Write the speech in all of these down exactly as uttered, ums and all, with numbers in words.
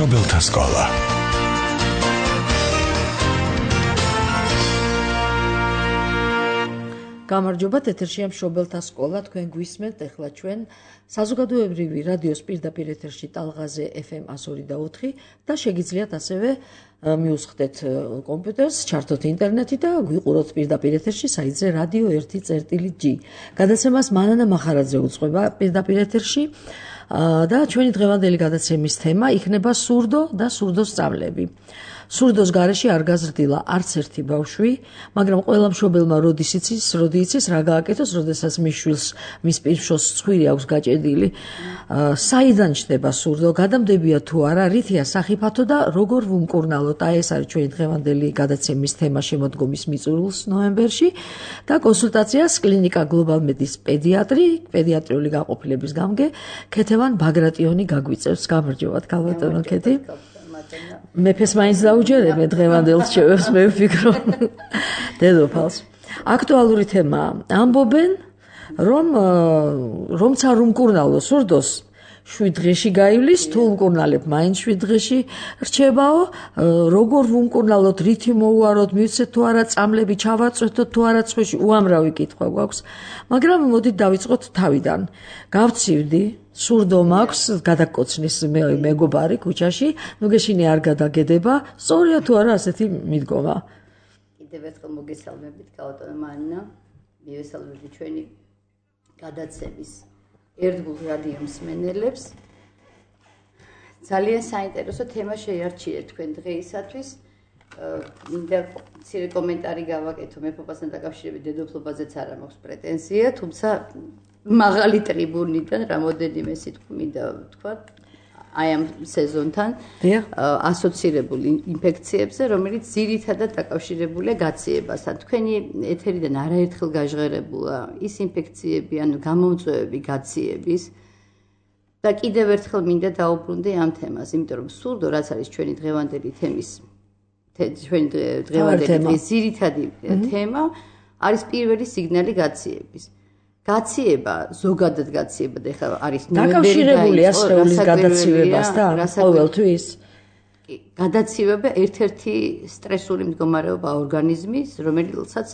მშობელთა სკოლა. გამარჯობათ, ეთერშია მშობელთა სკოლა, თქვენ გვისმენთ, ახლა ჩვენ საზოგადოებრივი რადიოს პირდაპირ ეთერში ტალღაზე ეფ ემ εκατო ორი და ოთხი და შეგიძლიათ ასევე მიუსხდეთ კომპიუტერს, ჩართოთ ინტერნეტი და გვიყუროთ პირდაპირ ეთერში საიტზე რადიო ერთი წერტილი ჯი. გადაცემას მანანა მახარაძე უწყობა პირდაპირ ეთერში და ჩვენი დღევანდელი გადაცემის თემა იქნება სურდო და სურდოს სწავლები. სურდოს გარეშე არ გაზრდილა არც ერთი ბავშვი, მაგრამ ყველა მშობელმა როდის იცის, როდი იცის რა გააკეთოს, როდესაც მის შვილს, მის პირშოს ცხვირი აქვს გაჭედილი. საიდან ჩნდება სურდო, გადამდებია თუ არა, რითია სახიფათო და როგორ ვუმკურნალოთ? აი ეს არის ჩვენი დღევანდელი გადაცემის თემა შემოდგომის მიწურულს ნოემბერში და კონსულტაციას კლინიკა გლობალ მედის პედიატრი, პედიატრიული გაყოფილების გამგე ქეთევან ბაგრატიონი გაგვიწევს. გამარჯობათ, ქალბატონო ქეთი. მეფეს მაინც დაუჯერებენ დღევანდელს შევებს, მე ვფიქრობ. დედოფალს. აქტუალური თემაა. ამბობენ, რომ რომც არ უმკურნალო სურდოს, შვიდ დღეში გაივლის, თუ უმკურნალებ, მაინც შვიდ დღეში რჩებაო, როგორ ვუმკურნალოთ, რითი მოუაროთ, მივცეთ თუ არა წამლები, ჩავაწვეთოთ თუ არა ცხვირში, უამრავი კითხვა გვაქვს. მაგრამ მოდით დავიწყოთ თავიდან. გავცივდი სურდო მაქვს, გადაკოცნის მეგობარი ქუჩაში, ნუ გეშინი არ გადაგედება, სწორია თუ არა ასეთი მიდგომა. კიდევ ერთხელ მოგესალმებით, ქალბატონო მანანა, მივესალმებით ჩვენი გადაცემის ერთგულ რადიო მსმენელებს. ძალიან საინტერესო თემა შეიარჩიეთ თქვენ დღეისათვის. მინდა მცირე კომენტარი გავაკეთო მეფობასთან დაკავშირებით, დედოფლობაზეც არა მაქვს პრეტენზია, თუმცა მაღალი ტრიბუნიდან რამოდენიმე სიტყვა მინდა ვთქვა აი ამ სეზონთან ასოცირებულ ინფექციებზე, რომელიც ძირითადად დაკავშირებულია გაციებასთან. თქვენი ეთერიდან არაერთხელ გაჟღერებულა ის ინფექციები, ანუ გამომწვევები გაციების და კიდევ ერთხელ მინდა დაუბრუნდე ამ თემას, იმიტომ რომ სურდო, რაც არის ჩვენი დღევანდელი თემის ჩვენი დღევანდელი ძირითადი თემა, არის პირველი სიგნალი გაციების. გაციება, ზოგადად გაციება და ეხლა არის დაკავშირებულია სხეულის გადაცივებასთან ყოველთვის. გადაცივება ერთ-ერთი სტრესული მდგომარეობა ორგანიზმის, რომელსაც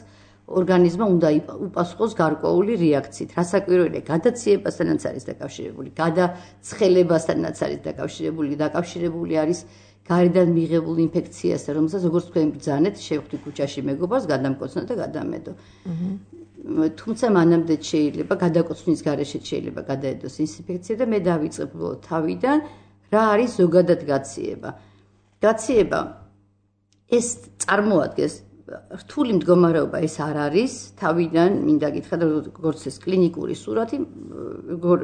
ორგანიზმმა უნდა უპასუხოს გარკვეული რეაქციით. რასაკვირველია, გადაციებასთანაც არის დაკავშირებული, გადაცხელებასთანაც არის დაკავშირებული, დაკავშირებული არის გარედან მიღებულ ინფექციასთან, რომელსაც როგორც თქვენ ბრძანეთ, შევხვდი ქუჩაში მეგობარს, გადამკოცნა და გადამედო. თუმცა მანამდე შეიძლება გადაკოცნის გარეშე შეიძლება გადაედოს ის ინფექცია და მე დავიწყებ თავიდან რა არის ზოგადად გაციება. გაციება ეს წარმოადგენს რთული მდგომარეობა, ეს არ არის თავიდან მინდა გითხრა როგორც ეს კლინიკური სურათი,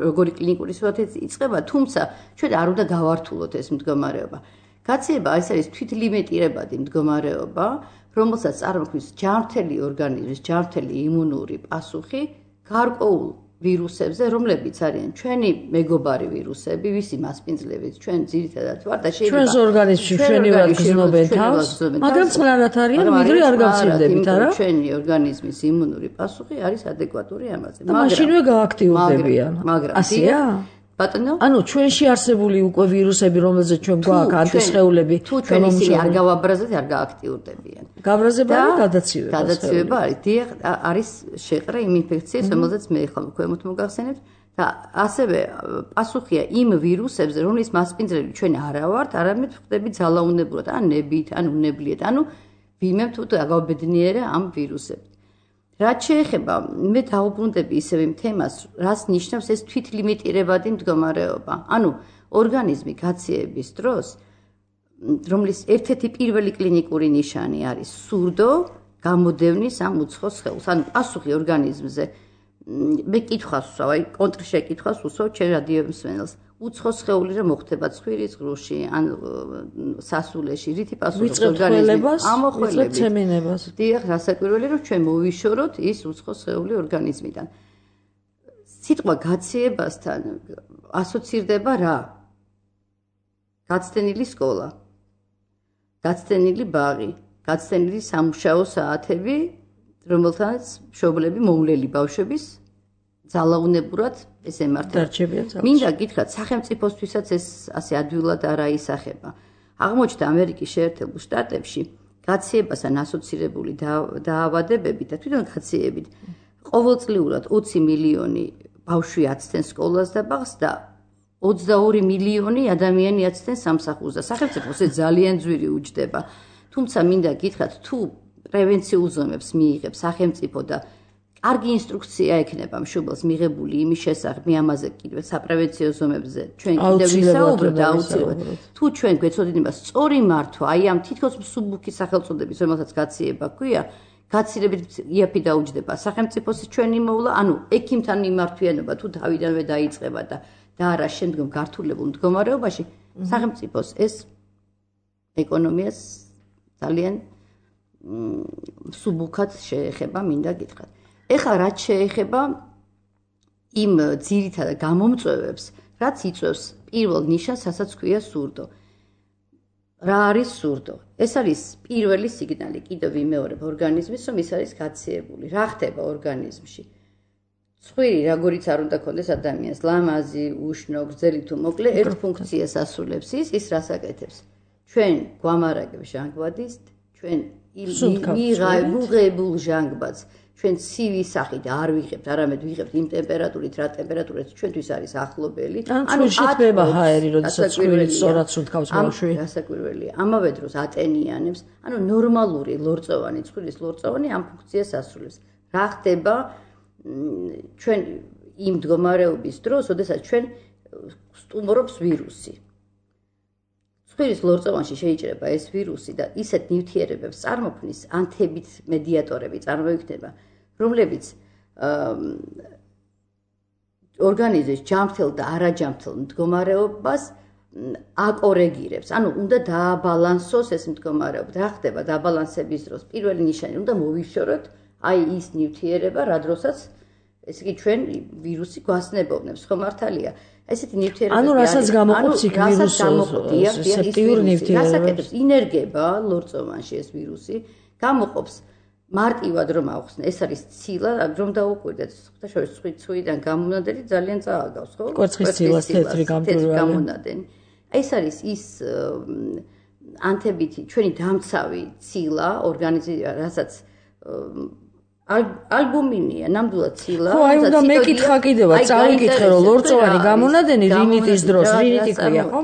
როგორი კლინიკური სურათი იწყება, თუმცა ჩვენ არ უნდა გავართულოთ ეს მდგომარეობა. გაციება ეს არის თვითლიმიტირებადი მდგომარეობა, რომელსაც წარმოქმნის ჯანმრთელი ორგანიზმის ჯანმრთელი იმუნური პასუხი გარკვეულ ვირუსებზე, რომლებიც არიან ჩვენი მეგობარი ვირუსები, ვისი მასპინძლებით ჩვენ ძირითადად ვარ და შეიძლება ჩვენს ორგანიზმში ჩვენივად გრძნობენ თავს, მაგრამ წყნარად არიან, ვიდრე არ გავცილდებით, არა? ჩვენი ორგანიზმის იმუნური პასუხი არის ადეკვატური ამაზე. მაგრამ მაშინვე გააქტიურდებიან. მაგრამ ასია? ბატონო, ანუ ჩვენში არსებული უკვე ვირუსები, რომელზეც ჩვენ გვაქვს ანტისხეულები, თუ ჩვენ ისინი არ გავაბრაზოთ, არ გააქტიურდებიან. გაბრაზება და გადაცივება. გადაცივება არის, დიახ, არის შეყრა იმ ინფექციას, რომელზეც მე ხომ ქვემოთ მოგახსენებთ და ასევე პასუხია იმ ვირუსებზე, რომლის მასპინძლები ჩვენ არა ვართ, არამედ ვხდები ძალაუნებურად, ან ნებით, ან უნებლიეთ, ანუ ვინმე თუ გავაბედნიერა ამ ვირუსებით. რაც შეეხება, მე დავუბრუნდები ისევ იმ თემას, რაც ნიშნავს ეს თვითლიმიტირებადი მდგომარეობა. ანუ ორგანიზმი გაციების დროს, რომლის ერთ-ერთი პირველი კლინიკური ნიშანი არის სურდო, გამოდევნის ამ უცხო სხეულს, ანუ პასუხი ორგანიზმზე. მე კითხვას ვსვავ, აი კონტრშეკითხვას ვუსვავ ჩვენ რადიო მსმენელს. უცხო სხეული რა მოხდება ცხვირის ღრუში, ან სასულეში, რითი პასუხობს ორგანიზმი? ამოხველებით. ცემინებას. დიახ, რასაკვირველია, რომ ჩვენ მოვიშოროთ ის უცხო სხეული ორგანიზმიდან. სიტყვა გაციებასთან ასოცირდება რა? გაცდენილი სკოლა, გაცდენილი ბაღი, გაცდენილი სამუშაო საათები, რომელთანაც მშობლები მოვლელი ბავშვების ძალაუნებურად ეს ემართება. დარჩებიან ძალაში. მინდა გითხრათ, სახელმწიფოსთვისაც ეს ასე ადვილად არ აისახება. აღმოჩნდა ამერიკის შეერთებულ შტატებში გაციებასთან ასოცირებული დაავადებები და თვითონ გაციებით ყოველწლიურად ოცი მილიონი ბავშვი აცდენ სკოლას და ბაღს და ოცდაორი მილიონი ადამიანი აცდენ სამსახურს და სახელმწიფოს ეს ძალიან ძვირი უჯდება. თუმცა მინდა გითხრათ, თუ პრევენციულ ზომებს მიიღებს სახელმწიფო და კარგი ინსტრუქცია ექნება მშობელს მიღებული იმის შესახებ, მე ამაზე კიდევ საპრევენციო ზომებზე ჩვენ კიდევ ვისაუბრებთ აუცილებლად. თუ ჩვენ გვეცოდინება სწორი მართვა, აი ამ თითქოს მსუბუქი სახელწოდების, რომელსაც გაციება ქვია, გაცილებით იაფი დაუჯდება სახელმწიფოს ჩვენი მოვლა, ანუ ექიმთან მიმართვიანობა თუ თავიდანვე დაიწყება და და არა შემდგომ გართულებულ მდგომარეობაში, სახელმწიფოს ეს ეკონომიას ძალიან მსუბუქად შეეხება, მინდა გითხრათ. ეხლა რაც შეეხება იმ ძირითად გამომწვევებს, რაც იწვევს პირველ ნიშანს, რასაც ქვია სურდო. რა არის სურდო? ეს არის პირველი სიგნალი, კიდევ ვიმეორებ ორგანიზმის, რომ ის არის გაციებული. რა ხდება ორგანიზმში? ცხვირი, როგორიც არ უნდა ქონდეს ადამიანს, ლამაზი, უშნო, გრძელი თუ მოკლე, ერთ ფუნქციას ასრულებს ის, ის რას აკეთებს? ჩვენ გვამარაგებს ჟანგბადს, ჩვენ მიღებულ ჟანგბადს ჩვენ ცივი სახით არ ვიღებთ, არამედ ვიღებთ იმ ტემპერატურით, რა ტემპერატურით ჩვენთვის არის ახლობელი. ანუ შეთმება ჰაერი, როდესაც ცხვირი სწორად სუნთქავს ბავშვი. გასაკვირველია. ამავე დროს ატენიანებს, ანუ ნორმალური ლორწოვანი, ცხვირის ლორწოვანი ამ ფუნქციას ასრულებს. რა ხდება ჩვენ იმ მდგომარეობის დროს, როდესაც ჩვენ სტუმრობს ვირუსი. ცხვირის ლორწოვანში შეიძლება ეს ვირუსი და ისეთ ნივთიერებებს წარმოქმნის, ანთებით მედიატორები წარმოიქმნება, რომლებიც ორგანიზმის ჯანმრთელ და არაჯანმრთელ მდგომარეობას აკორეგირებს. ანუ უნდა დააბალანსოს ეს მდგომარეობა. რა ხდება დააბალანსების დროს? პირველი ნიშანი უნდა მოვიშოროთ აი ის ნივთიერება, რა დროსაც ესე იგი ჩვენ ვირუსი გვასნებოვნებს, ხო მართალია? ესეთი ნივთიერებები ანუ რასაც გამოყოფს იქ ვირუსი, სეპტიურ ნივთიერებებს. ინერგება ლორწოვანში ეს ვირუსი, გამოყოფს მარტივად რომ ახსნე, ეს არის ცილა, რომ დაუკვირდეთ. ხუთაშორის ცხვირიდან გამონადენი ძალიან წააგავს, ხო? კვერცხის ცილას თეთრი გამონადენი. ეს არის ის ანთებითი ჩვენი დამცავი ცილა, ორგანიზმი, რასაც ალბუმინია, ნამდვილად ცილა. ხო, აი უნდა მეკითხა კიდევაც, წავიკითხე რომ ლორწოვანი გამონადენი რინიტის დროს, რინიტი ქვია, ხო?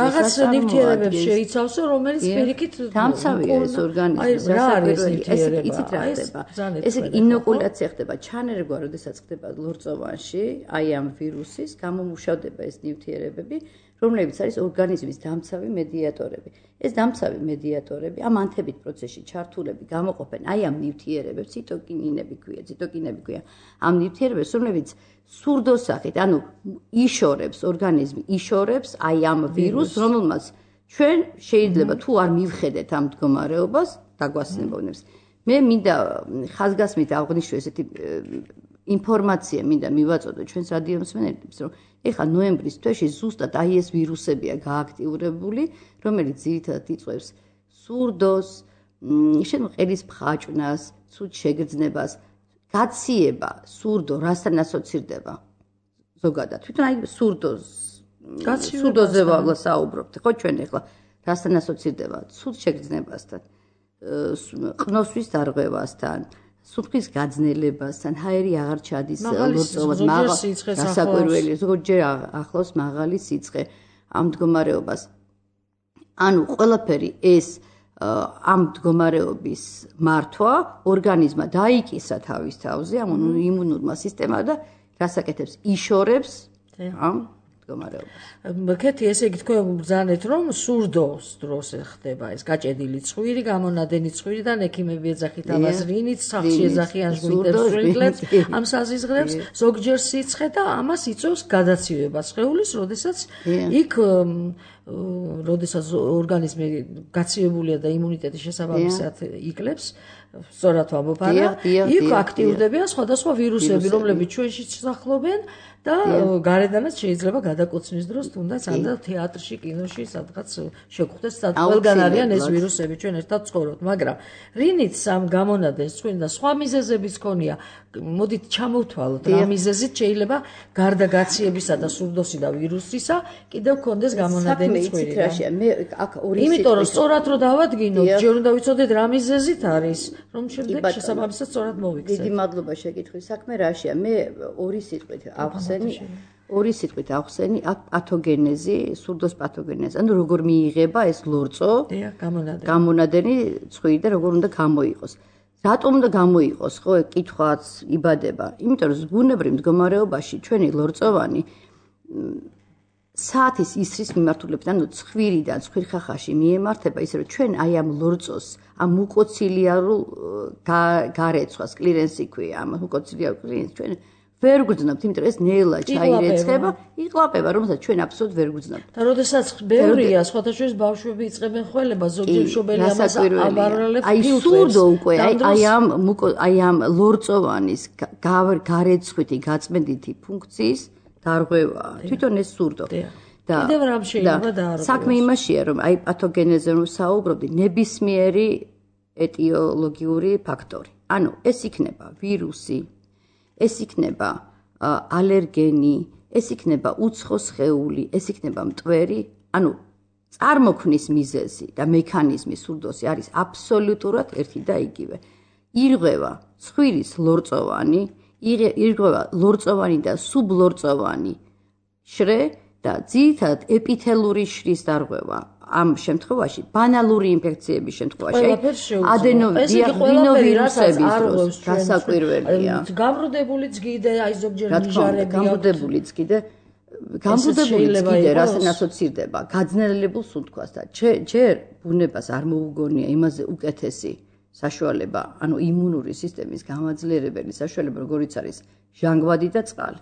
რაღაც ნივთიერებებს შეიცავსო, რომელიც პირიქით დამცავია ეს ორგანიზმი. აი რა არის ნივთიერება? იცით რა ხდება? ესე იგი ინოკულაცია ხდება, ჩანერგვა, როდესაც ხდება ლორწოვანში, აი ამ ვირუსის, გამომუშავდება ეს ნივთიერებები, რომლებიც არის ორგანიზმის დამცავი მედიატორები. ეს დამცავი მედიატორები ამ ანთებით პროცესში ჩართულები გამოყოფენ აი ამ ნივთიერებებს, ციტოკინინები ქვია, ციტოკინები ქვია. ამ ნივთიერებებს, რომლებიც სურდოსახით, ანუ იშორებს ორგანიზმი, იშორებს აი ამ ვირუსს, რომელმაც ჩვენ შეიძლება თუ არ მივხედეთ ამ მდგომარეობას, დაგვასნებოვნებს. მე მინდა ხაზგასმით აღვნიშნო ესეთი ინფორმაცია მინდა მივაწოდო ჩვენს რადიო მსმენელებს, რომ ეხლა ნოემბრის თვეში ზუსტად აი ეს ვირუსებია გააქტიურებული, რომელიც ძირითადად იწვევს სურდოს, შემოყელის მხაჭვნას, ცუდ შეგრძნებას, გაციება, სურდო, რასთან ასოცირდება ზოგადად. თვითონ აი სურდოს, სურდოზე ვსაუბრობთ, ხო ჩვენ ეხლა რასთან ასოცირდება? ცუდ შეგრძნებასთან, ყნოსვის დარღვევასთან, სუნთქვის გაძნელებასთან, ჰაერი აღარ ჩადის ლორწოვანს, მაღალი გასაკვირველი, ზოგჯერ ახლავს მაღალი სიცხე ამ მდგომარეობას. ანუ ყველაფერი ეს ამ მდგომარეობის მართვა ორგანიზმა დაიკისა თავის თავზე, ამ იმუნურმა სისტემამ და რასაკეთებს? იშორებს ამ მდგომარეობას. კეთი, ესე იგი თქვენ ბრძანეთ, რომ სურდოს დროს ხდება ეს გაჭედილი ცხვირი, გამონადენი ცხვირიდან ექიმები ეძახით ამას რინით, სახლში ეძახიან ჟვინტერს, ამ საზიზღრებს, ზოგჯერ სიცხე და ამას იწვევს გადაცივება სხეულის, როდესაც იქ როდესაც ორგანიზმი გაცივებულია და იმუნიტეტი შესაბამისად იკლებს, სწორად ვამბობ, იქ აქტიურდებიან სხვადასხვა ვირუსები, რომლებიც ჩვენში სახლობენ და გარედანაც შეიძლება გადაკოცნის დროს თუნდაც ანდა თეატრში, კინოში, სადღაც შეგხვდეს, ყველგან არიან ეს ვირუსები, ჩვენ ერთად ცხოვრობთ, მაგრამ რინიც ამ გამონადენს თქვენ და სხვა მიზეზებიც ქონია, მოდით ჩამოვთვალოთ რა მიზეზით შეიძლება გარდა გაციებისა და სურდოსი და ვირუსისა კიდევ გქონდეს გამონადენი ცხვირი. მე აქ ორი იმიტომ რომ სწორად რომ დავადგინოთ, ჯერ უნდა ვიცოდეთ რა მიზეზით არის, რომ შემდეგ შესაბამისად სწორად მოვიქცეთ. დიდი მადლობა შეკითხვის საქმე რაშია. მე ორი სიტყვით ავხსენი ორი სიტყვით ავხსენი აქ პათოგენეზი, სურდოს პათოგენეზი. ანუ როგორ მიიღება ეს ლორწო? დიახ, გამონადენი. გამონადენი ცხვირი და როგორ უნდა გამოიყოს. რატომ უნდა გამოიყოს, ხო, კითხვაც იბადება. იმიტომ რომ ბუნებრივ მდგომარეობაში ჩვენი ლორწოვანი საათის ისრის მიმართულებით, ანუ ცხვირიდან ცხვირხახაში მიემართება, ისე რომ ჩვენ აი ამ ლორწოს, ამ მუკოცილიარულ გარეცხვას, კლირენსი ქვია, ამ მუკოცილიარულ კლირენს ჩვენ ვერ გვგრძნობთ, იმიტომ რომ ეს ნელა ჩაირეცხება, იყლაპება, რომელსაც ჩვენ აბსოლუტურად ვერ გვგრძნობთ. და როდესაც ბევრია, სხვათა შორის ბავშვები იწყებენ ხველება, ზოგჯერ მშობელი ამას აბარალებს ფილტვებს. აი სურდო უკვე, აი აი ამ აი ამ ლორწოვანის გარეცხვითი გაწმენდითი ფუნქციის დარღვევაა. თვითონ ეს სურდო. და კიდევ რამ შეიძლება დაარღვევას. საქმე იმაშია, რომ აი პათოგენეზე რომ საუბრობდი, ნებისმიერი ეტიოლოგიური ფაქტორი. ანუ ეს იქნება ვირუსი, ეს იქნება ალერგენი, ეს იქნება უცხო სხეული, ეს იქნება მტვერი, ანუ წარმოქმნის მიზეზი და მექანიზმი სურდოსი არის აბსოლუტურად ერთი და იგივე. ირღვევა ცხვირის ლორწოვანი, ირღვევა ლორწოვანი და სუბლორწოვანი შრე და ძირითადად ეპითელური შრის დარღვევა. ამ შემთხვევაში ბანალური ინფექციების შემთხვევაში ადენოვირუსების დროს გასაკვირველია. გამრუდებულიც კიდე აი ზოგჯერ მიჟარები გამრუდებულიც კიდე გამრუდებულიც კიდე რასთან ასოცირდება გაძნელებულს უთქვას და ჯერ ბუნებას არ მოუგონია იმაზე უკეთესი საშუალება, ანუ იმუნური სისტემის გამაძლიერებელი საშუალება, როგორიც არის ჟანგბადი და წყალი.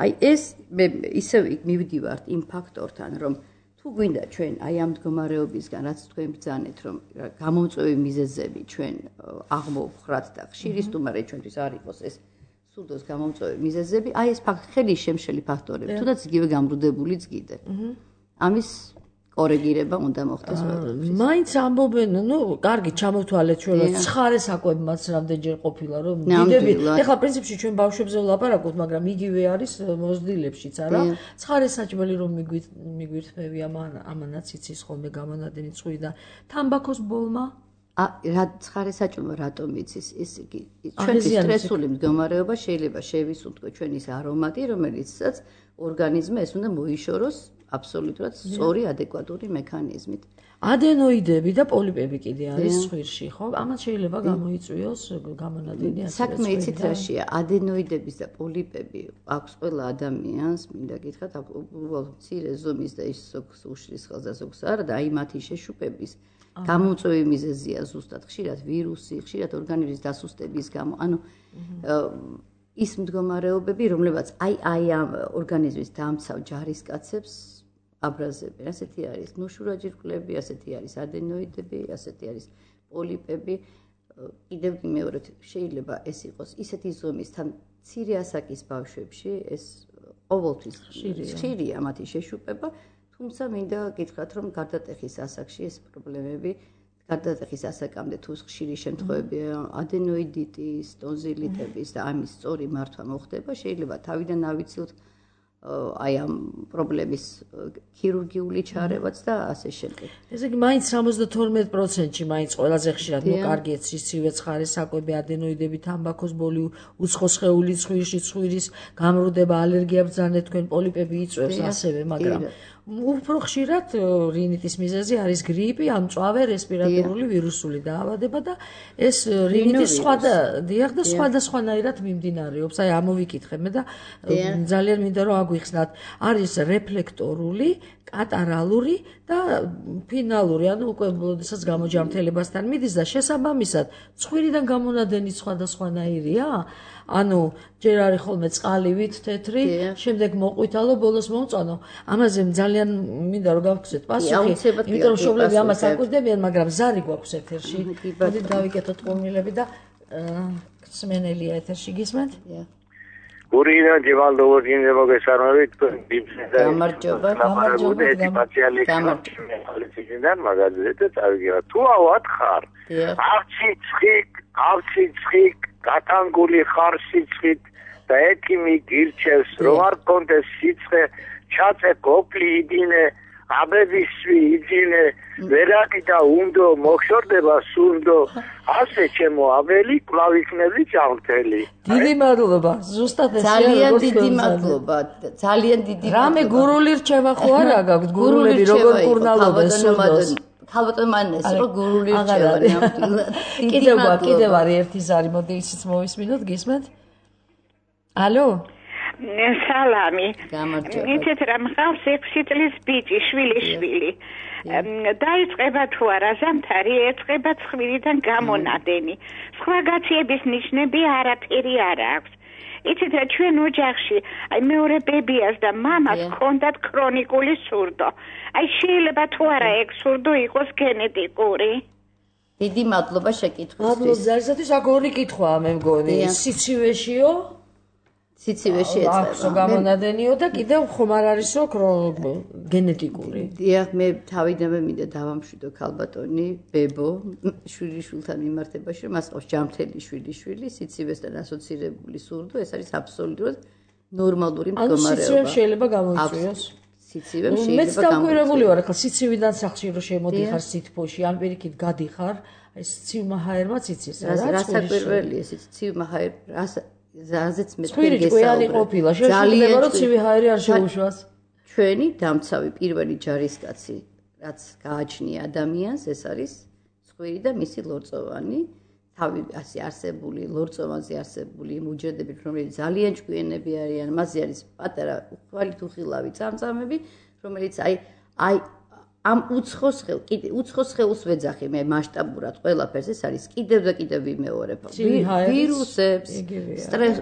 აი ეს მე ისევ მივდივართ იმ ფაქტორთან, რომ თუ გვინდა ჩვენ აი ამ მდგომარეობისგან, რაც თქვენ ბრძანეთ, რომ გამომწვევი მიზეზები ჩვენ აღმოვხრათ და ხშირი სტუმარი ჩვენთვის არ იყოს ეს სურდოს გამომწვევი მიზეზები, აი ეს ხელი შემშელი ფაქტორები, თუნდაც იგივე გამრუდებულიც კიდე. ამის კორეგირება უნდა მოხდეს ყველაფრის. მაინც ამბობენ, ნუ, კარგი, ჩამოვთვალეთ ჩვენ, ცხარე საკვებმაც რამდენჯერ ყოფილა, რომ დიდები, ეხლა პრინციპში ჩვენ ბავშვებზე ვლაპარაკობთ, მაგრამ იგივე არის მოზრდილებშიც, არა? ცხარე საჭმელი რომ მიგვირთმევი ამანაც იცის ხოლმე გამონადენი ცხვირიდან. თამბაქოს ბოლმა? რა ცხარე საჭმელი რატომ იცის? ეს იგი ჩვენი სტრესული მდგომარეობა შეიძლება შევისუნთქო ჩვენი არომატი, რომელიცაც ორგანიზმი ეს უნდა მოიშოროს აბსოლუტურად სწორი ადეკვატური მექანიზმით. ადენოიდები და პოლიპები კიდე არის ცხვირში, ხო? ამას შეიძლება გამოიწვიოს გამონადენი ასე. საქმე იცით რაშია? ადენოიდების და პოლიპები აქვს ყველა ადამიანს, მინდა გითხრათ, უბრალოდ მცირე ზომის და ის ზოგს უშლის ხელს და ზოგს არა და აი მათი შეშუპების გამომწვევი მიზეზია ზუსტად ხშირად ვირუსი, ხშირად ორგანიზმის დასუსტების გამო, ანუ ის მდგომარეობები, რომლებაც აი აი ამ ორგანიზმის დამცავ ჯარისკაცებს აბრაზებენ. ასეთი არის ნუშურაჯირკვლები, ასეთი არის ადენოიდები, ასეთი არის პოლიპები. კიდევ მეორედ შეიძლება ეს იყოს ისეთი ზომის თან მცირე ასაკის ბავშვებში ეს ყოველთვის ხშირია მათი შეშუპება, თუმცა მინდა გითხრათ, რომ გარდატეხის ასაკში ეს პრობლემები გარდატეხის ასაკამდე თუ ხშირი შემთხვევებია ადენოიდიტის, ტონზილიტების და ამის სწორი მართვა მოხდება, შეიძლება თავიდან ავიცილოთ აი ამ პრობლემის ქირურგიული ჩარევაც და ასე შემდეგ. ესე იგი მაინც სამოცდათორმეტ პროცენტში მაინც ყველაზე ხშირად ნუ კარგია სიცივე ცხარე საკვები, ადენოიდები, თამბაქოს ბოლი, უცხო სხეული ცხვირში, ცხვირის გამრუდება, ალერგია ბრძანეთ თქვენ, პოლიპები იწვევს ასევე, მაგრამ უფრო ხშირად რინიტის მიზეზი არის გრიპი, ამწვავე რესპირატორული ვირუსული დაავადება და ეს რინიტის სხვადა დიახ და სხვადასხვანაირად მიმდინარეობს. აი ამოვიკითხე მე და ძალიან მინდა რომ აგვიხსნათ. არის რეფლექტორული, კატარალური და ფინალური, ანუ უკვე როდესაც გამოჯამთელებასთან მიდის და შესაბამისად ცხვირიდან გამონადენი სხვადასხვანაირია. ანუ ჯერ არის ხოლმე წყალივით თეთრი, შემდეგ მოყვითალო, ბოლოს მომწვანო. ამაზე ძალიან მინდა რომ გავგზეთ პასუხი, იმიტომ რომ მშობლები ამას აკვირდებიან, მაგრამ ზარი გვაქვს ეთერში. მოდით დავიკეთოთ ყურმილები და სმენელია ეთერში გისმენთ? გურინა ჯევალდოვოძინზე მოგესალმებით ბიბლისა გამარჯობა გამარჯობა გამარჯობა მაგაზე და წავიგება თუ ავად ხარ არცი ცხიკ არცი ცხიკ გატანგული ხარ სიცხით და ექიმი გირჩევს რომ არ კონდეს სიცხე ჩაწე გოფლი იდინე აბებისვი იძინე ვერაკი და უნდო მოხშორდება სუნდო ასე ჩემო აბელი კვლავ იქნები ჯანმრთელი დიდი მადლობა ზუსტად ეს ძალიან დიდი მადლობა ძალიან დიდი რამე გურული რჩება ხო არა გაქვთ გურულები როგორ კურნალობენ სუნდოს ხალბატონ მანეს რო გურული რჩება ნამდვილად კიდევ კიდევ არის ერთი ზარი მოდი ისიც მოვისმინოთ გისმენთ ალო სალამი გამარჯობა იცით რა მყავს ექვსი წლის ბიჭი შვილი შვილი დაიწყება თუ არა ზამთარი ეწყება ცხვირიდან გამონადენი სხვა გაციების ნიშნები არაფერი არ აქვს იცით რა ჩვენ ოჯახში აი მეორე ბებიას და მამას ჰქონდათ ქრონიკული სურდო აი შეიძლება თუ არა ეგ სურდო იყოს გენეტიკური დიდი მადლობა შეკითხვისთვის მადლობა ზარისათვის აქ ორი კითხვაა მე მგონი სიცივეშიო სიცივეში ეწება გამონადენიო და კიდევ ხომ არ არისო გენეტიკური დიახ მე თავიდანვე მინდა დავამშვიდო ქალბატონი ბებო შვილიშვილთან მიმართებაში რომ მას ყავს ჯანმრთელი შვილიშვილი სიცივესთან ასოცირებული სურდო ეს არის აბსოლუტურად ნორმალური მდგომარეობა სიცივე შეიძლება გამოიწვიოს სიცივე შეიძლება მეც დავკვირებული ვარ ახლა სიცივიდან სახში რომ შემოდიხარ სითბოში ან პირიქით გადიხარ აი სიცივმა ჰაერმა ციცის რა რასაკვირველია სიცივმა ჰაერ რას ზაზეც მე თქვენი ყოფილა შეიძლება რომ ცივი ჰაერი არ შეუშვას ჩვენი დამცავი პირველი ჯარისკაცი რაც გააჩნია ადამიანს ეს არის ცხვირი და მისი ლორწოვანი თავი ასე არსებული ლორწოვანზე არსებული მუჯრედები რომელიც ძალიან ჭკვიანები არიან მასზე არის პატარა უხვალი თუ ხილავი წამწამები რომელიც აი აი ამ უცხოს ხელ კიდე უცხოს ხელს ვეძახი მე მასშტაბურად ყველაფერს ეს არის კიდევ და კიდევ ვიმეორებ ვირუსებს სტრეს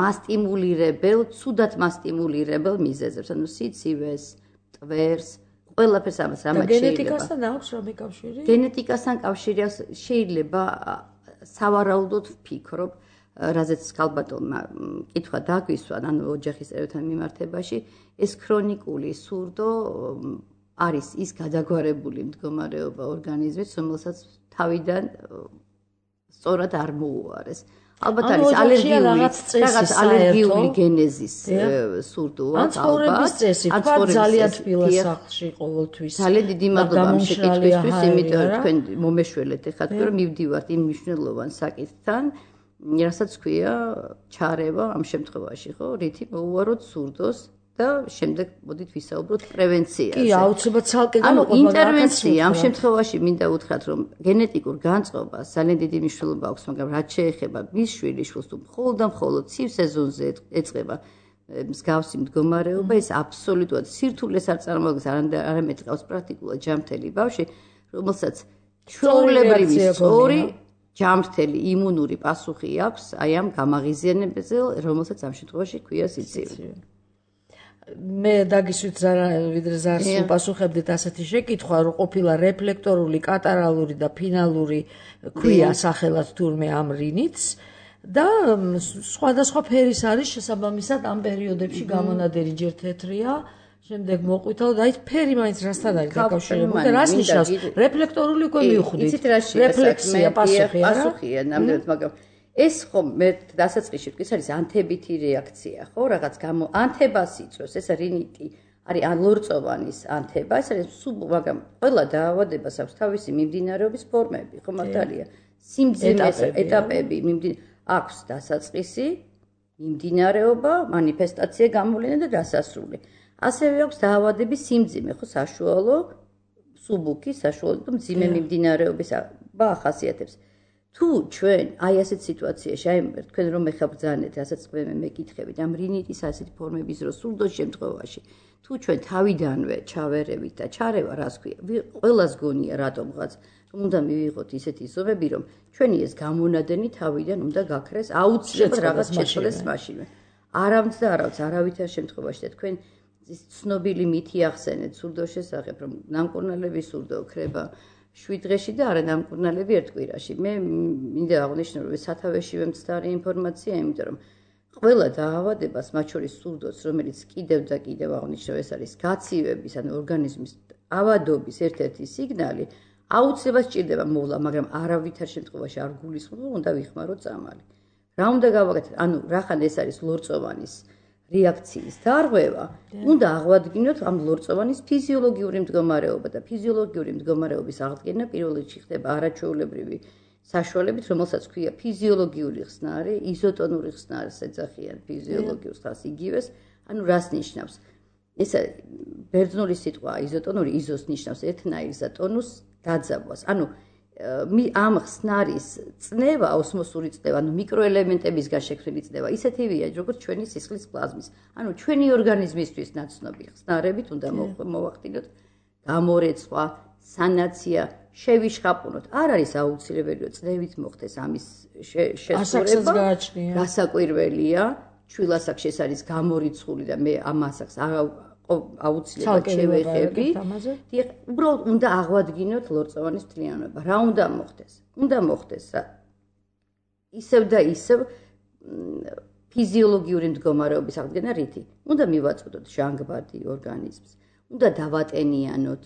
მასტიმულირებელ ცუდად მასტიმულირებელ მიზეზებს ანუ სიცივეს ტვერს ყველაფერს ამას ამათ შეიძლება გენეტიკასთან აქვს რამე კავშირი გენეტიკასთან კავშირი აქვს შეიძლება სავარაუდოდ ვფიქრობ რაზეც ქალბატონმა კითხვა დაგვისვა ანუ ოჯახის წევრებთან მიმართებაში ეს ქრონიკული სურდო არის ის გადაგვარებული მდგომარეობა ორგანიზმის, რომელსაც თავიდან სწორად არ მოუარეს. ალბათ არის ალერგიული რაღაც ალერგიული გენეზის სურდოა, ალბათ. ან ცხოვრების წესი, თქვა ძალიან თბილა სახლში ყოველთვის. ძალიან დიდი მადლობა ამ შეკითხვისთვის, იმიტომ რომ თქვენ მომეშველეთ ეხლა თქვენ რომ მივდივართ იმ მნიშვნელოვან საკითხთან, რასაც ქვია ჩარევა ამ შემთხვევაში, ხო? რითი მოუაროთ სურდოს და შემდეგ მოდით ვისაუბროთ პრევენციაზე. კი, აუცილებლად ცალკე ანუ ინტერვენცია ამ შემთხვევაში მინდა უთხრათ, რომ გენეტიკურ განწყობას ძალიან დიდი მნიშვნელობა აქვს, მაგრამ რაც შეეხება მის შვილიშვილს თუ მხოლოდ და მხოლოდ ცივ სეზონზე ეწყება მსგავსი მდგომარეობა, ეს აბსოლუტურად სირთულეს არ წარმოადგენს, არამედ ყავს პრაქტიკულად ჯანმრთელი ბავშვი, რომელსაც ჩვეულებრივი სწორი ჯანმრთელი იმუნური პასუხი აქვს აი ამ გამაღიზიანებაზე, რომელსაც ამ შემთხვევაში ქვია სიცივე. მე დაგისვით ვიდრე ზარს უპასუხებდით ასეთი შეკითხვა, რომ ყოფილა რეფლექტორული, კატარალური და ფინალური ქვია სახელად თურმე ამ რინიც და სხვადასხვა ფერის არის შესაბამისად ამ პერიოდებში გამონადენი ჯერ თეთრია, შემდეგ მოყვითალო და აი ფერი მაინც რასთან არის დაკავშირებული და რას ნიშნავს რეფლექტორული უკვე მივხვდით. რეფლექსია, პასუხი არა? პასუხია ნამდვილად, მაგრამ ეს ხომ მე დასაწყისში ვთქვი, ეს არის ანთებითი რეაქცია, ხო? რაღაც გამო ანთებას იწვევს, ეს რინიტი არის ან ლორწოვანის ანთება, ეს არის სუბ, მაგრამ ყველა დაავადებას აქვს თავისი მიმდინარეობის ფორმები, ხო მართალია? სიმძიმეს ეტაპები აქვს დასაწყისი, მიმდინარეობა, მანიფესტაცია, გამოვლენა და დასასრული. ასევე აქვს დაავადების სიმძიმე, ხო, საშუალო, სუბუქი, საშუალო და მძიმე მიმდინარეობის ახასიათებს. თუ ჩვენ აი ასეთ სიტუაციაში, აი თქვენ რომ მეხაბრძანეთ, რასაც მე მეკითხებით, ამ რინიტის ასეთი ფორმების რო სურდოს შემთხვევაში, თუ ჩვენ თავიდანვე ჩავერევით და ჩარევა რას ქვია, ყველას გონია რატომღაც, რომ უნდა მივიღოთ ისეთი ზომები, რომ ჩვენი ეს გამონადენი თავიდან უნდა გაქრეს აუცილებლად რაღაც შეცვლეს მაშინვე. არავის და არავის არავითარ შემთხვევაში და თქვენ ცნობილი მითი ახსენეთ სურდოს შესახებ, რომ ნამკურნალების სურდო ქრება შვიდ დღეში და არა ნამკურნალები ერთ კვირაში. მე მინდა აღნიშნო, რომ სათავეშივე მცდარი ინფორმაცია, იმიტომ რომ ყველა დაავადებას, მათ შორის სურდოს, რომელიც კიდევ და კიდევ აღნიშნო, ეს არის გაცივების, ანუ ორგანიზმის ავადობის ერთ-ერთი სიგნალი, აუცილებლად სჭირდება მოვლა, მაგრამ არავითარ შემთხვევაში არ გულისხმობ, რომ უნდა ვიხმაროთ წამალი. რა უნდა გავაკეთოთ? ანუ რახან ეს არის ლორწოვანის რეაქციის დარღვევა, უნდა აღვადგინოთ ამ ლორწოვანის ფიზიოლოგიური მდგომარეობა და ფიზიოლოგიური მდგომარეობის აღდგენა პირველ რიგში ხდება არაჩვეულებრივი საშუალებით, რომელსაც ქვია ფიზიოლოგიური ხსნარი, იზოტონური ხსნარის ეძახიან ფიზიოლოგიურ ხსნარს იგივეს, ანუ რას ნიშნავს? ეს ბერძნული სიტყვა იზოტონური იზოს ნიშნავს ერთნაირს და ტონუს დაძაბვას. ანუ ამ ხსნარის წნევა, ოსმოსური წნევა, ანუ მიკროელემენტებისგან შექმნილი წნევა, ისეთივეა, როგორც ჩვენი სისხლის პლაზმის. ანუ ჩვენი ორგანიზმისთვის ნაცნობი ხსნარებით უნდა მოვახდინოთ გამორეცვა, სანაცია, შევიშხაპუნოთ. არ არის აუცილებელი, რომ წნევით მოხდეს ამის შესრულება. გასაკვირველია, ჩვილასაკში ეს არის გამორიცხული და მე ამ ასაკს აუცილებლად შევეხები. დიახ, უბრალოდ უნდა აღვადგინოთ ლორწოვანის მთლიანობა. რა უნდა მოხდეს? უნდა მოხდეს ისევ და ისევ ფიზიოლოგიური მდგომარეობის აღდგენა რითი? უნდა მივაწოდოთ ჟანგბადი ორგანიზმს. უნდა დავატენიანოთ.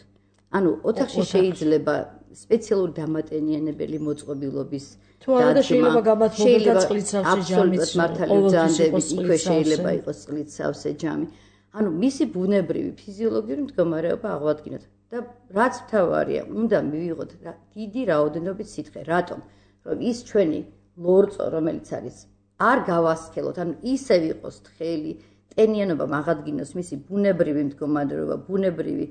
ანუ ოთახში შეიძლება სპეციალური დამატენიანებელი მოწყობილობის თუ არა შეიძლება გამათბობდა წყლიცავსე ჯამიც ყოველთვის იქვე შეიძლება იყოს წყლიცავსე ჯამი. ანუ მისი ბუნებრივი ფიზიოლოგიური მდგომარეობა აღვადგინოთ და რაც მთავარია, უნდა მივიღოთ დიდი რაოდენობით სითხე. რატომ? რომ ის ჩვენი ლორწო, რომელიც არის, არ გავასქელოთ, ანუ ისევ იყოს თხელი, ტენიანობა აღადგინოს მისი ბუნებრივი მდგომარეობა, ბუნებრივი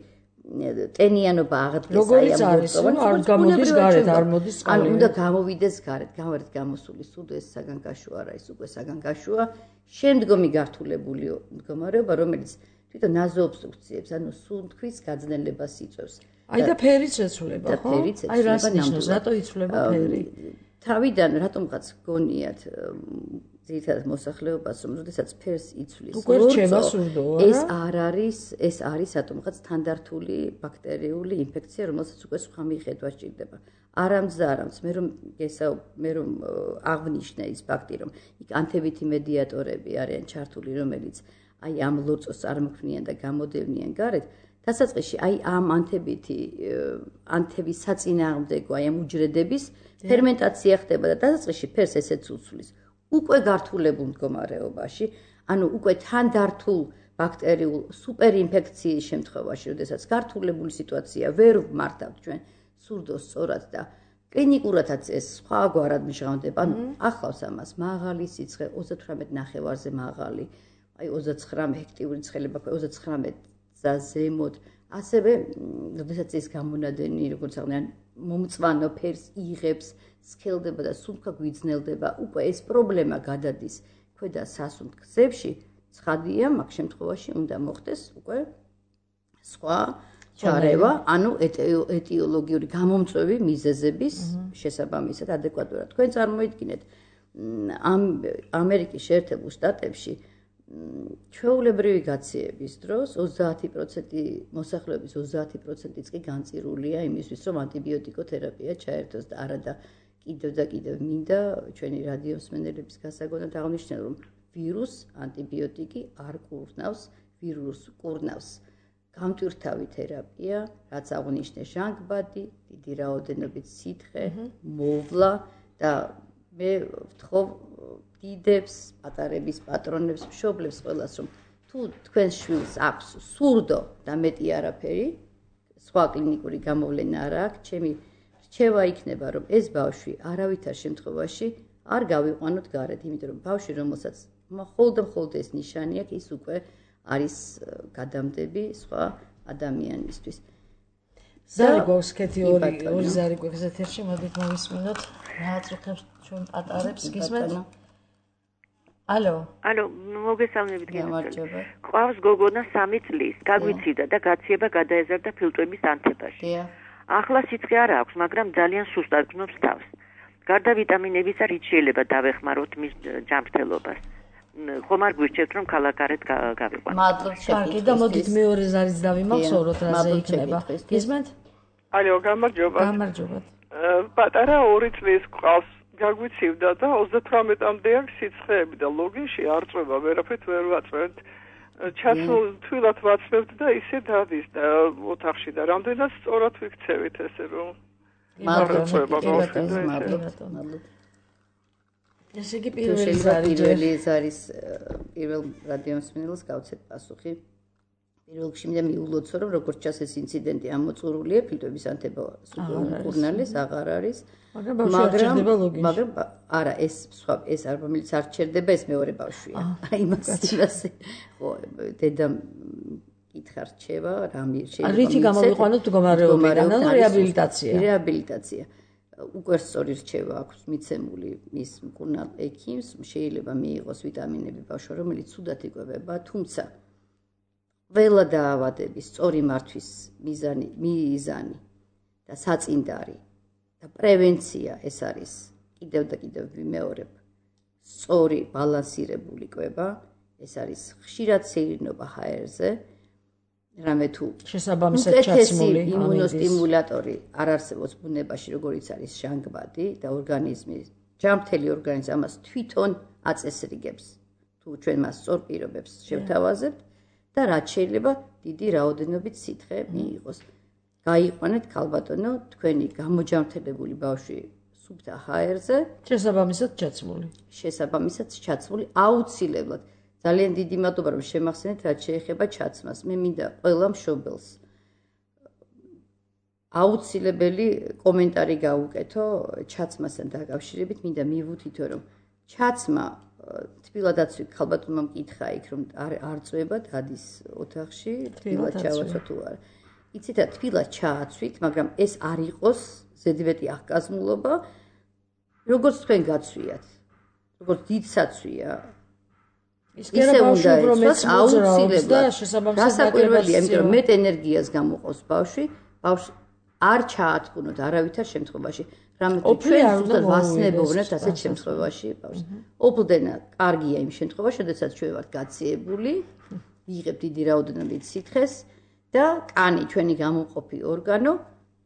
ტენიანობა აღდგეს აი ამ ლორწოვანს, არ გამოდის გარეთ, არ მოდის წყალი. ანუ უნდა გამოვიდეს გარეთ, გამარეთ გამოსული სულ ეს საგანგაშო არა, ის უკვე საგანგაშოა. შემდგომი გართულებული მდგომარეობა, რომელიც თვითონ ნაზოობსტრუქციებს, ანუ სუნთქვის გაძნელებას იწვევს. აი და ფერიც ეცვლება, ხო? აი რას ნიშნავს, რატო იცვლება ფერი? თავიდან რატომღაც გონიათ ძირითადად მოსახლეობას, რომ როდესაც ფერს იცვლის ლორწო, ეს არ არის, ეს არის რატომღაც თანდართული ბაქტერიული ინფექცია, რომელსაც უკვე სხვა მიხედვა სჭირდება. არამც და არამც მე რომ გესაუბ მე რომ აღნიშნე ის ფაქტი, რომ იქ ანთებითი მედიატორები არიან ჩართული, რომელიც აი ამ ლორწოს წარმოქმნიან და გამოდევნიან გარეთ, დასაწყისში აი ამ ანთებითი ანთების საწინააღმდეგო აი ამ უჯრედების ფერმენტაცია ხდება და დასაწყისში ფერს ესეც უცვლის. უკვე გართულებულ მდგომარეობაში, ანუ უკვე თანდართულ ბაქტერიულ სუპერინფექციის შემთხვევაში, როდესაც გართულებული სიტუაცია ვერ ვმართავთ ჩვენ სურდოს სწორად და კლინიკურადაც ეს სხვაგვარად მჟღავდება. ანუ ახლავს ამას მაღალი სიცხე, ოცდათვრამეტ ნახევარზე მაღალი, აი ოცდაცხრამეტ ჰექტიური ცხელება, ოცდაცხრამეტზე ზემოთ. ასევე, როდესაც ეს გამონადენი, როგორც აღნიშნე, მომწვანო ფერს იღებს, სქელდება და სუნთქვა გვიძნელდება, უკვე ეს პრობლემა გადადის ქვედა სასუნთქ გზებში. ცხადია, მაგ შემთხვევაში უნდა მოხდეს უკვე სხვა ჩარევა, ანუ ეტიოლოგიური გამომწვევი მიზეზების შესაბამისად ადეკვატურად. თქვენ წარმოიდგინეთ, ამ ამერიკის შეერთებულ შტატებში ჩვეულებრივი გაციების დროს ოცდაათი პროცენტი მოსახლეობის ოცდაათი პროცენტიც კი განწირულია იმისთვის, რომ ანტიბიოტიკოთერაპია ჩაერთოს და არა და კიდევ და კიდევ მინდა ჩვენი რადიოსმენელების გასაგონად აღნიშნე, რომ ვირუს ანტიბიოტიკი არ კურნავს, ვირუს კურნავს გამტვირთავი თერაპია, რაც აღნიშნე ჟანგბადი, დიდი რაოდენობით სითხე, მოვლა და მე ვთხოვ დიდებს, პატარების პატრონებს, მშობლებს ყველას, რომ თუ თქვენს შვილს აქვს სურდო და მეტი არაფერი, სხვა კლინიკური გამოვლენა არ აქვს, ჩემი რჩევა იქნება, რომ ეს ბავშვი არავითარ შემთხვევაში არ გავიყვანოთ გარეთ, იმიტომ რომ ბავშვი, რომელსაც მხოლოდ მხოლოდ ეს ნიშანი აქვს, ის უკვე არის გადამდები სხვა ადამიანისთვის. ზარი გვაქვს კეთი ორი ორი ზარი გვაქვს ეთერში, მოდით მოვისმინოთ. რა აწუხებს ჩვენ პატარებს, გისმენთ? ალო. ალო, მოგესალმებით გენერალი. ყავს გოგონა სამი წლის, გაგვიციდა და გაციება გადაეზარდა ფილტვების ანთებაში. ახლა სიცხე არ აქვს, მაგრამ ძალიან სუსტად გნობს თავს. გარდა ვიტამინებისა, რით შეიძლება დავეხმაროთ მის ჯანმრთელობას? ხომ არ გვირჩევთ, რომ ქალაქარეთ გავიყვანოთ. მადლობა. კარგი, და მოდით მეორე ზარიც დავიმახსოვროთ, რაზე იქნება. გისმენთ? ალო, გამარჯობა. გამარჯობა. პატარა ორი წლის ყავს, გაგვიცივდა და ოცდათვრამეტამდე აქვს სიცხეები და ლოგინში არ წვება, ვერაფერთ ვერ ვაწვევთ. ჩასულ თვილად ვაცმევთ და ისე დადის და ოთახში და რამდენად სწორად ვიქცევით ესე რომ მადლობა. ესე იგი პირველი ზარი პირველი ზარის პირველ რადიომსმენელს გავცეთ პასუხი. პირველ რიგში მინდა მიულოცო, რომ როგორც ჩანს ეს ინციდენტი ამოწურულია, ფილტვების ანთება უკურნალეს აღარ არის. მაგრამ მაგრამ არა, ეს სხვა ეს არ რომელიც არ ჩერდება, ეს მეორე ბავშვია. აი იმას იმასე. ხო, დედამ კითხა რჩება, რამე შეიძლება. რითი გამოვიყვანოთ მდგომარეობიდან, ანუ რეაბილიტაცია. რეაბილიტაცია. უკვე სწორი რჩევა აქვს მიცემული მის მკურნალ ექიმს, შეიძლება მიიღოს ვიტამინები ბავშვმა, რომელიც ცუდად იკვებება, თუმცა ყველა დაავადების სწორი მართვის მიზანი, მიზანი და საწინდარი და პრევენცია ეს არის კიდევ და კიდევ ვიმეორებ სწორი ბალანსირებული კვება, ეს არის ხშირად სეირნობა ჰაერზე, რამე თუ შესაბამისად ჩაცმული იმუნოსტიმულატორი არ არსებობს ბუნებაში, როგორიც არის ჟანგბადი და ორგანიზმი, ჯანმრთელი ორგანიზმი ამას თვითონ აწესრიგებს, თუ ჩვენ მას სწორ პირობებს შევთავაზებთ და რაც შეიძლება დიდი რაოდენობით სითხე მიიღოს. გაიყვანეთ ქალბატონო თქვენი გამოჯანმრთელებული ბავშვი სუფთა ჰაერზე, შესაბამისად ჩაცმული. შესაბამისად ჩაცმული აუცილებლად. ძალიან დიდი მადლობა რომ შემახსენეთ რაც შეეხება ჩაცმას. მე მინდა ყველა მშობელს აუცილებელი კომენტარი გაუკეთო ჩაცმასთან დაკავშირებით. მინდა მივუთითო რომ ჩაცმა თბილადაცვი ქალბატონმა მკითხა იქ რომ არ არ წვება დადის ოთახში თბილად ჩავაცვა თუ არა. იცით რა თბილად ჩააცვით, მაგრამ ეს არ იყოს ზედმეტი აღკაზმულობა, როგორც თქვენ გაცვიათ. როგორც დიდ საცვია ისე უნდა იყოს აუცილებლად დასაკვირველია, იმიტომ რომ მეტ ენერგიას გამოყავს ბავშვი, ბავშვი არ ჩაათბუნოთ არავითარ შემთხვევაში. რამე თუ ჩვენ ზუსტად ვასნებოვნებთ ასეთ შემთხვევაში ბავშვს. ოპლდენა კარგია იმ შემთხვევაში, როდესაც ჩვენ ვართ გაციებული, ვიღებთ დიდი რაოდენობით სითხეს და კანი ჩვენი გამომყოფი ორგანო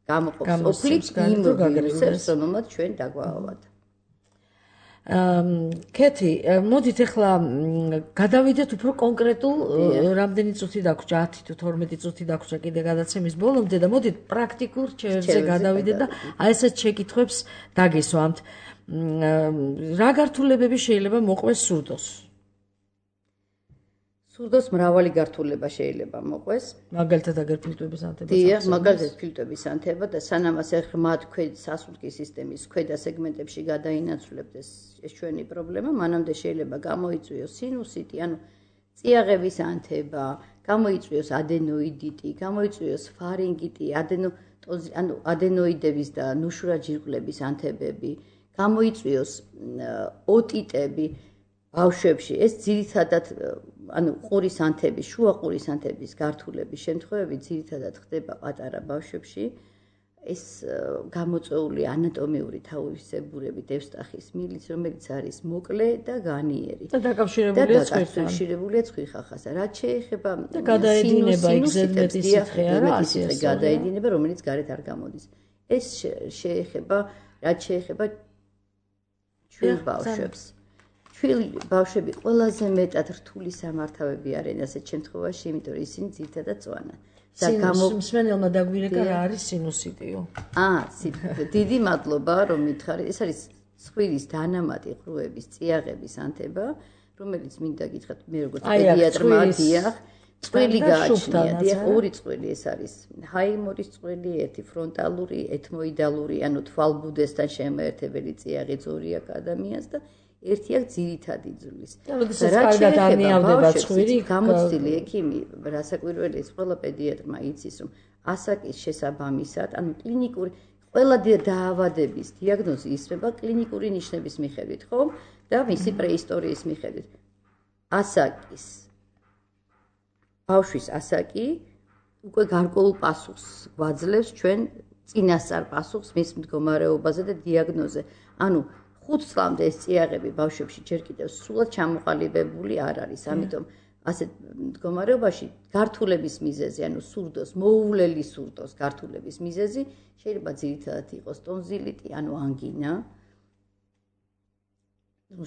გამოყოფს ოფლით იმ ვირუსებს, რომელმაც ჩვენ დაგვაავად. კეთი, მოდით ახლა გადავიდეთ უფრო კონკრეტულ რამდენი წუთი დაგვრჩა, ათი თუ თორმეტი წუთი დაგვრჩა კიდე გადაცემის ბოლომდე და მოდით პრაქტიკულ რჩევებზე გადავიდეთ და აი ესეთ შეკითხვებს დაგესვამთ. რა გართულებები შეიძლება მოყვეს სურდოს? სურდოს მრავალი გართულება შეიძლება მოყვეს. მაგალითად აგერ ფილტვების ანთება. დიახ, მაგალითად ფილტვების ანთება და სანამ ასე ღრმად ქვედ სასუნთქის სისტემის ქვედა სეგმენტებში გადაინაცვლებთ ეს ჩვენი პრობლემა, მანამდე შეიძლება გამოიწვიოს სინუსიტი, ანუ წიაღების ანთება, გამოიწვიოს ადენოიდიტი, გამოიწვიოს ფარინგიტი, ადენო ანუ ადენოიდების და ნუშურაჯირკვლების ანთებები, გამოიწვიოს ოტიტები ბავშვებში. ეს ძირითადად ანუ ყურის ანთების, შუა ყურის ანთების გართულების შემთხვევები ძირითადად ხდება პატარა ბავშვებში. ეს გამოწვეული ანატომიური თავისებურებით ევსტახის მილიც, რომელიც არის მოკლე და განიერი. და დაკავშირებულია ცხვირთან. დაკავშირებულია ცხვირხახასთან. რაც შეეხება გადაედინება იქ ზედმეტი სითხე არა, ასეა გადაედინება, რომელიც გარეთ არ გამოდის. ეს შეეხება, რაც შეეხება ჩვენ ბავშვებს. ჩვენი ბავშვები ყველაზე მეტად რთული სამართავები არიან ასეთ შემთხვევაში, იმიტომ რომ ისინი ძირითადად წვანან. და გამომსმენელმა დაგვირეკა რა არის სინუსიტიო. აა, დიდი მადლობა რომ მითხარით. ეს არის ცხვირის დანამატი ყრუების, წიაღების ანთება, რომელიც მინდა გითხრათ მე როგორც პედიატრმა დიახ, წყვილი გააჩნია, დიახ, ორი წყვილი ეს არის. ჰაიმორის წყვილი, ერთი ფრონტალური, ეთმოიდალური, ანუ თვალბუდესთან შემაერთებელი წიაღი ძორი აქვს ადამიანს და ერთი აქ ძირითადი ძვლის. რაც განიავდება ცხვირი, გამოცდილი ექიმი, რასაკვირველია, ყველა პედიატრმა იცის, რომ ასაკის შესაბამისად, ანუ კლინიკური ყველა დაავადების დიაგნოზი ისწრება კლინიკური ნიშნების მიხედვით, ხო? და მისი პრეისტორიის მიხედვით. ასაკის ბავშვის ასაკი უკვე გარკვეულ პასუხს გვაძლევს ჩვენ წინასწარ პასუხს მის მდგომარეობაზე და დიაგნოზზე. ანუ ხუთ წლამდე ეს წიაღები ბავშვებში ჯერ კიდევ სულად ჩამოყალიბებული არ არის. ამიტომ ასეთ მდგომარეობაში გართულების მიზეზი, ანუ სურდოს, მოუვლელი სურდოს გართულების მიზეზი შეიძლება ძირითადად იყოს ტონზილიტი, ანუ ანგინა,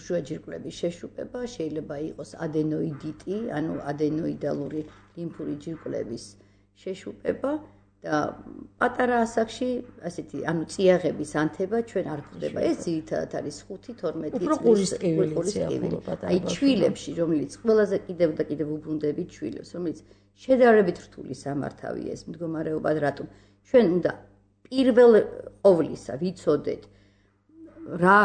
შუაჯირკვლების შეშუპება, შეიძლება იყოს ადენოიდიტი, ანუ ადენოიდალური ლიმფური ჯირკვლების შეშუპება და პატარა ასაკში ასეთი ანუ წიაღების ანთება ჩვენ არ გვხდება. ეს ძირითადად არის ხუთი თორმეტი წლის ტკივილი. აი ჩვილებში, რომელიც ყველაზე კიდევ და კიდევ უბრუნდებით ჩვილებს, რომელიც შედარებით რთული სამართავია ეს მდგომარეობა, რატომ ჩვენ უნდა პირველ ყოვლისა ვიცოდეთ რა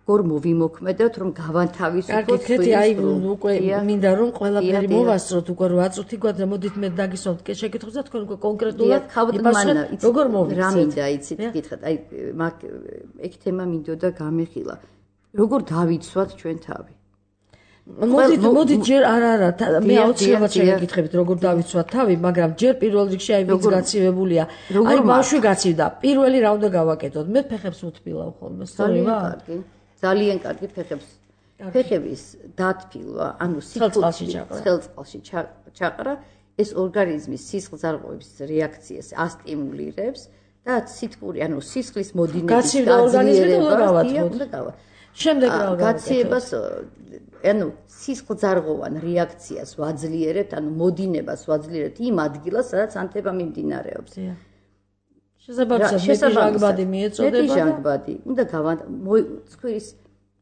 გორ მოვიმოქმედოთ, რომ გავანთავისუფლოთ ხელი აი უკვე მინდა რომ ყველაფერი მოვასწროთ უკვე რვა წუთი გვაქვს და მოდით მე დაგისვამთ შეკითხვას და თქვენ უკვე კონკრეტულად იფასოთ როგორ მოვიცეთ რა მინდა იცით გითხრათ აი მაგ ეგ თემა მინდოდა გამეხილა როგორ დავიცვათ ჩვენ თავი მოდით მოდით ჯერ არა არა მე აუცილებლად შეგეკითხებით როგორ დავიცვათ თავი მაგრამ ჯერ პირველ რიგში აი ვინც გაცივებულია აი ბავშვი გაცივდა პირველი რა უნდა გავაკეთოთ მე ფეხებს ვთბილავ ხოლმე სწორია ძალიან კარგი ფეხებს ფეხების დათბილვა ანუ სიცხეში ცხელწყალში ჩაყრა ეს ორგანიზმის სისხლძარღვების რეაქციას ასტიმულირებს და სითბური ანუ სისხლის მოდინების გაცივდა ორგანიზმი უნდა გავათმოთ შემდეგ რა გაციებას ანუ სისხლძარღვოვან რეაქციას ვაძლიერებთ ანუ მოდინებას ვაძლიერებთ იმ ადგილას სადაც ანთება მიმდინარეობს შესაბამისად მეტიჟანგბადი მიეწოდება და მეტიჟანგბადი უნდა გავაცხვირის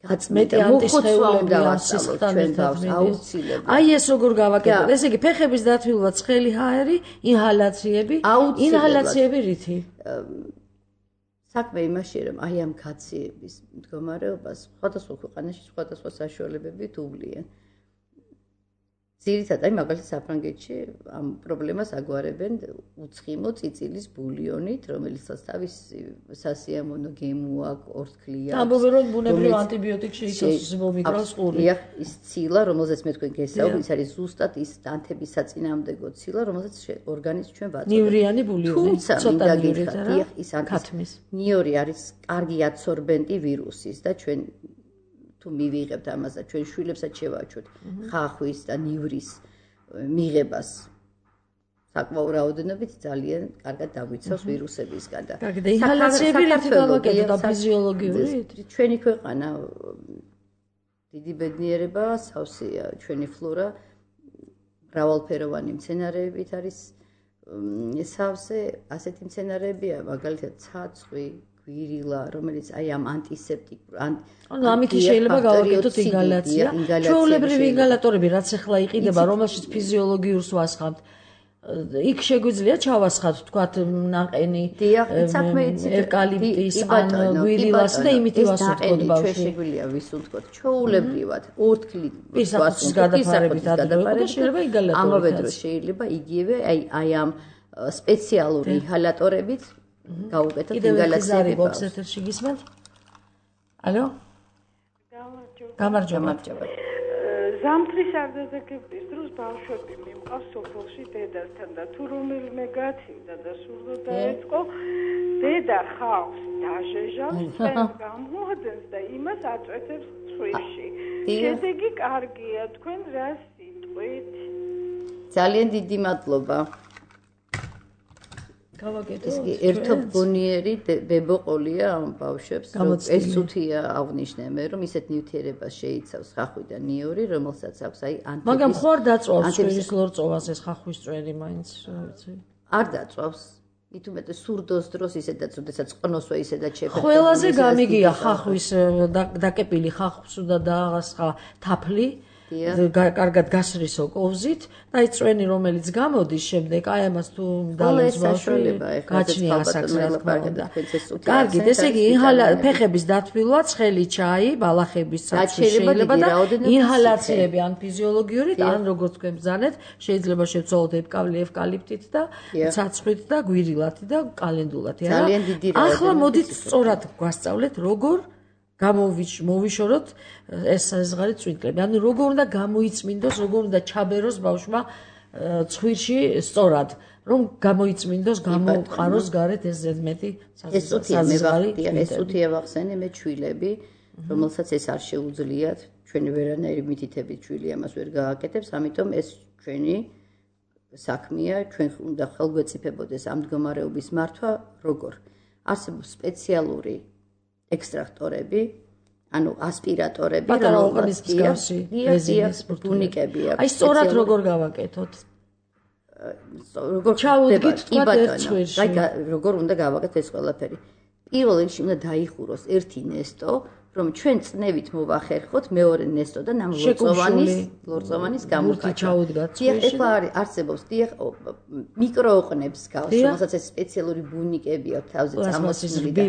გაწმეტა მოხოცვა უნდა ვასწავლოთ ჩვენ თავს აუცილებლად აი ეს როგორ გავაკეთოთ ესე იგი ფეხების დათბილვა ცხელი ჰაერი ინჰალაციები ინჰალაციები რითი საქმე იმაში რომ აი ამ კაციების მდგომარეობას სხვადასხვა ქვეყანაში სხვადასხვა საშუალებები თუვლიან ძირითადად აი მაგალითად საფრანგეთში ამ პრობლემას აგვარებენ უცხიმო წიწილის ბულიონით, რომელიცაც თავისი სასიამოვნო გემო აქვს, ორთქლია აქვს. ამბობენ რომ ბუნებრივ ანტიბიოტიკ შეიცავს მიკროს ყური. დიახ, ის ცილა, რომელზეც მე თქვენ გესაუბრეთ, ის არის ზუსტად ის ანთების საწინააღმდეგო ცილა, რომელზეც ორგანიზმს ჩვენ ვაწოდოთ. ნივრიანი ბულიონი, ცოტა ნივრით არა. დიახ, ის ანთის. ნიორი არის კარგი აბსორბენტი ვირუსის და ჩვენ თუ მივიღებთ ამას და ჩვენ შვილებსაც შევაჩვევთ ხახვის და ნივრის მიღებას საკმაო რაოდენობით ძალიან კარგად დაგვიცავს ვირუსებისგან და კარგი და ინჰალაციები რითი გავაკეთოთ და ფიზიოლოგიურით ჩვენი ქვეყანა დიდი ბედნიერება სავსეა ჩვენი ფლორა მრავალფეროვანი მცენარეებით არის სავსე ასეთი მცენარეებია მაგალითად ცაცხვი გვირილა, რომელიც აი ამ ანტისეპტიკურ ანუ ამითი შეიძლება გავაკეთოთ ინგალაცია. ჩვეულებრივი ინგალატორები რაც ახლა იყიდება, რომელშიც ფიზიოლოგიურს ვასხამთ. იქ შეგვიძლია ჩავასხათ, თქვათ, ნაყენი, ევკალიპტის, ან გვირილას და იმით ვასუნთქოთ ბავშვი. ჩვენ შეგვიძლია ვისუნთქოთ ჩვეულებრივად ორთქლით ვასუნთქოთ გადაფარებით ადრე შეიძლება ინგალატორი. ამავე დროს შეიძლება იგივე აი აი ამ სპეციალური ინჰალატორებით გავუკეთოთ ინგალაციები. კიდევ ერთ ეთერში გისმენთ? ალო? გამარჯობა. ზამთრის არდაძეკების დროს ბავშვები მიმყავს სოფელში დედასთან და თუ რომელიმე გაცივდა და სურდა დაეწყო დედა ხავს დაჟეჟავს წელს გამოადენს და იმას აწვეთებს ცხვირში. შედეგი კარგია თქვენ რა სიტყვით? ძალიან დიდი მადლობა. გავაკეთოთ. ერთობგონიერი ბებოყოლია ამ ბავშვებს. ეს თუთია აღნიშნე მე რომ ისეთ ნივთიერებას შეიცავს ხახვი და ნიორი, რომელსაც აქვს აი ანტიბიოტიკი. მაგრამ ხო არ დაწვავს შვილის ლორწოვას ეს ხახვის წვერი მაინც, რა ვიცი. არ დაწვავს. მით უმეტეს სურდოს დროს ისედაც, როდესაც ყნოსვა ისედაც შეფერდება. ყველაზე გამიგია ხახვის დაკეპილი ხახვის და დაღასხა თაფლი. კარგად გასრისო კოვზით და აი წვენი რომელიც გამოდის შემდეგ აი ამას თუ დალენს ბავშვი გაჩნია ასაკს რა თქმა უნდა. კარგი, ესე იგი ფეხების დათბილვა, ცხელი ჩაი, ბალახების საწვი შეიძლება და ინჰალაციები ან ფიზიოლოგიურით ან როგორც თქვენ ბრძანეთ, შეიძლება შევცვალოთ ევკალიპტით და ცაცხვით და გვირილათი და კალენდულათი არა. ახლა მოდით სწორად გვასწავლეთ როგორ გამოვიშოროთ ეს საზღარი წვინკლები. ანუ როგორ უნდა გამოიწმინდოს, როგორ უნდა ჩაბეროს ბავშვმა ცხვირში სწორად, რომ გამოიწმინდოს, გამოყაროს გარეთ ეს ზედმეტი საზღარი. ეს უთია ვახსენე მე ჩვილები, რომელსაც ეს არ შეუძლიათ, ჩვენი ვერანაირი მითითებით ჩვილი ამას ვერ გააკეთებს, ამიტომ ეს ჩვენი საქმეა, ჩვენ უნდა ხელგვეწიფებოდეს ამ მდგომარეობის მართვა, როგორ არსებობს სპეციალური ექსტრაქტორები, ანუ ასპირატორები, რომელსაც გარსი რეზინის ბუნიკები აქვს. აი სწორად როგორ გავაკეთოთ? როგორ ჩაუდგით თქვა ერთ წვერში. აი როგორ უნდა გავაკეთოთ ეს ყველაფერი. პირველ რიგში უნდა დაიხუროს ერთი ნესტო, რომ ჩვენ წნევით მოვახერხოთ მეორე ნესტო და ნამ ლორწოვანის ლორწოვანის გამოფაჩა. დიახ, ეხლა არის არსებობს დიახ მიკროოყნებს გავს, რომელსაც ეს სპეციალური ბუნიკები აქვს თავზე წამოსული და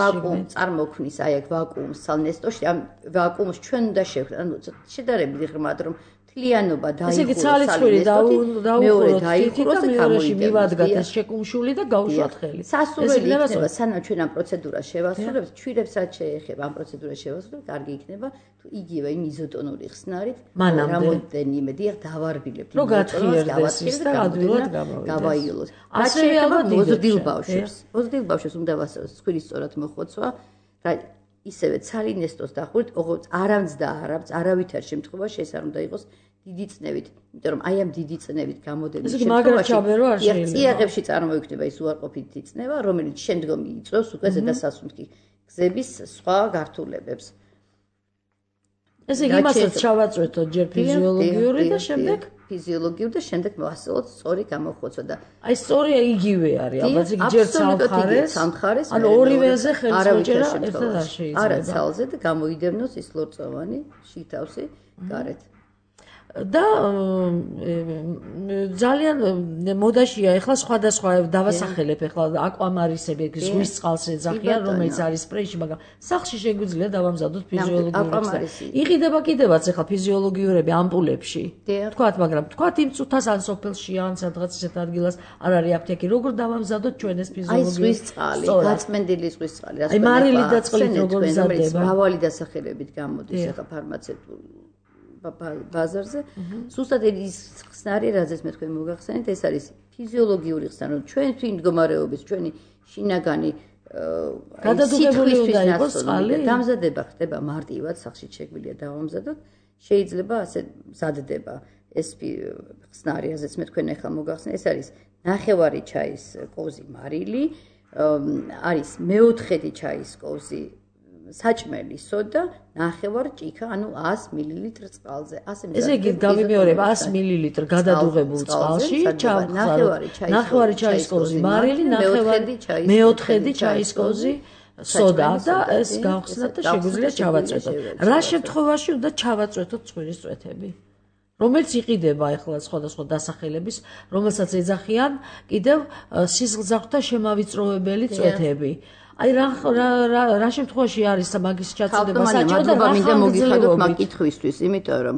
ვაკუუმ წარმოქმნის, აი აქ ვაკუუმს ცალ ნესტოში, ამ ვაკუუმს ჩვენ უნდა შევხვდეთ, ანუ შედარებით ღრმად რომ თლიანობა დაიხუროს. ესე იგი ცალიცხვირი დაუხუროთ თითქოს და მეორეში მივადგათ ეს შეკუმშული და გავუშვათ ხელი. სასურველი იქნება სანამ ჩვენ ამ პროცედურას შევასრულებთ, ჩვირებს რაც შეეხება ამ პროცედურას შევასრულებთ, კარგი იქნება თუ იგივე იმ იზოტონური ხსნარით რამოდენიმე დიახ დავარბილებთ. რომ გათხიერდეს ის და ადვილად გავაიოლოთ. ასევე ალბათ მოზრდილ ბავშვებს. მოზრდილ ბავშვებს უნდა ვასწავლოთ ცხვირის სწორად მოხოცვა. ისევე ცალი ნესტოს დახურით, ოღონდ არავის და არავის არავითარ შემთხვევაში ეს არ უნდა იყოს დიდი წნევით, იმიტომ რომ აი ამ დიდი წნევით გამოდების შემთხვევაში წიაღებში წარმოიქმნება ის უარყოფითი წნევა, რომელიც შემდგომ იწვევს უკვე ზედასასუნთქი გზების სხვა გართულებებს. ესე იგი იმასაც ჩავაწვეთოთ ჯერ ფიზიოლოგიური და შემდეგ ფიზიოლოგიური და შემდეგ მოვასწავლოთ სწორი გამოხოცვა და აი სწორი იგივე არის, ალბათ იგი ჯერ სამხარეს, ანუ ორივეზე ხელსაუჭერა ერთად არ შეიძლება. არა ცალზე და გამოიდევნოს ის ლორწოვანი შითავსი გარეთ. და ძალიან მოდაშია ეხლა სხვადასხვა დავასახელებ ეხლა აკვამარისები ზღვის წყალს ეძახიან რომელიც არის სპრეიში, მაგრამ სახლში შეგვიძლია დავამზადოთ ფიზიოლოგიურად. იყიდება კიდევაც ეხლა ფიზიოლოგიურები ამპულებში. თქვათ, მაგრამ თქვათ იმ წუთას ან სოფელში ან სადღაც ისეთ ადგილას არ არის აფთიაქი, როგორ დავამზადოთ ჩვენ ეს ფიზიოლოგიური აი ზღვის წყალი, გაწმენდილი ზღვის წყალი, აი მარილი და წყლით როგორ მზადდება, მრავალი დასახელებით გამოდის ეხლა ფარმაცევტული ბაზარზე. ზუსტად ის ხსნარი, რაზეც მე თქვენ მოგახსენეთ, ეს არის ფიზიოლოგიური ხსნარი, ჩვენ თვით მდგომარეობის, ჩვენი შინაგანი გადადუღებული უნდა იყოს წყალი. დამზადება ხდება მარტივად, სახლში შეგვიძლია დავამზადოთ. შეიძლება ასე მზადდება ეს ხსნარი, რაზეც მე თქვენ ახლა მოგახსენეთ, ეს არის ნახევარი ჩაის კოვზი მარილი, არის მეოთხედი ჩაის კოვზი საჭმელი სოდა, ნახევარ ჭიქა, ანუ ას მილილიტრი წყალზე. ასე მზადდება. ესე იგი გავიმეორებ ას მილილიტრი გადადუღებულ წყალში, ნახევარი ჩაის კოვზი მარილი, ნახევარი მეოთხედი ჩაის კოვზი სოდა და ეს გავხსნათ და შეგვიძლია ჩავაწვეთოთ. რა შემთხვევაში უნდა ჩავაწვეთოთ ცხვირის წვეთები? რომელიც იყიდება ახლა სხვადასხვა დასახელების, რომელსაც ეძახიან კიდევ სისხლძარღვთა შემავიწროვებელი წვეთები. აი რა რა რა შემთხვევაში არის მაგის ჩაწოდება საჭირო და რა მინდა მოგიხადოთ მაგ კითხვისთვის, იმიტომ რომ